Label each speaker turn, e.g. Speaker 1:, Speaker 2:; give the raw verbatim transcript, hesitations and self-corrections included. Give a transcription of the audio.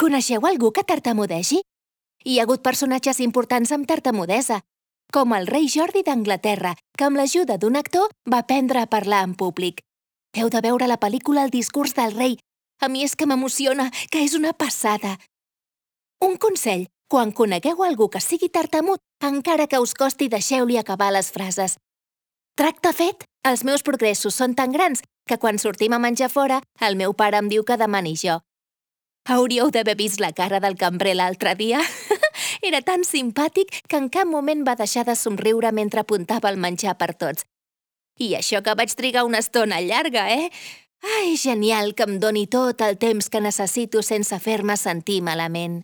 Speaker 1: Coneixeu algú que tartamudegi? Hi ha hagut personatges importants amb tartamudesa, com el rei Jordi d'Anglaterra, que amb l'ajuda d'un actor va aprendre a parlar en públic. Heu de veure la pel·lícula El discurs del rei. A mi és que m'emociona, que és una passada. Un consell, quan conegueu algú que sigui tartamut, encara que us costi, deixeu-li acabar les frases. Tracte fet! Els meus progressos són tan grans que quan sortim a menjar fora, el meu pare em diu que demani jo. Hauríeu d'haver vist la cara del cambrer l'altre dia. Era tan simpàtic que en cap moment va deixar de somriure mentre apuntava el menjar per tots. I això que vaig trigar una estona llarga, eh? Ai, genial que em doni tot el temps que necessito sense fer-me sentir malament.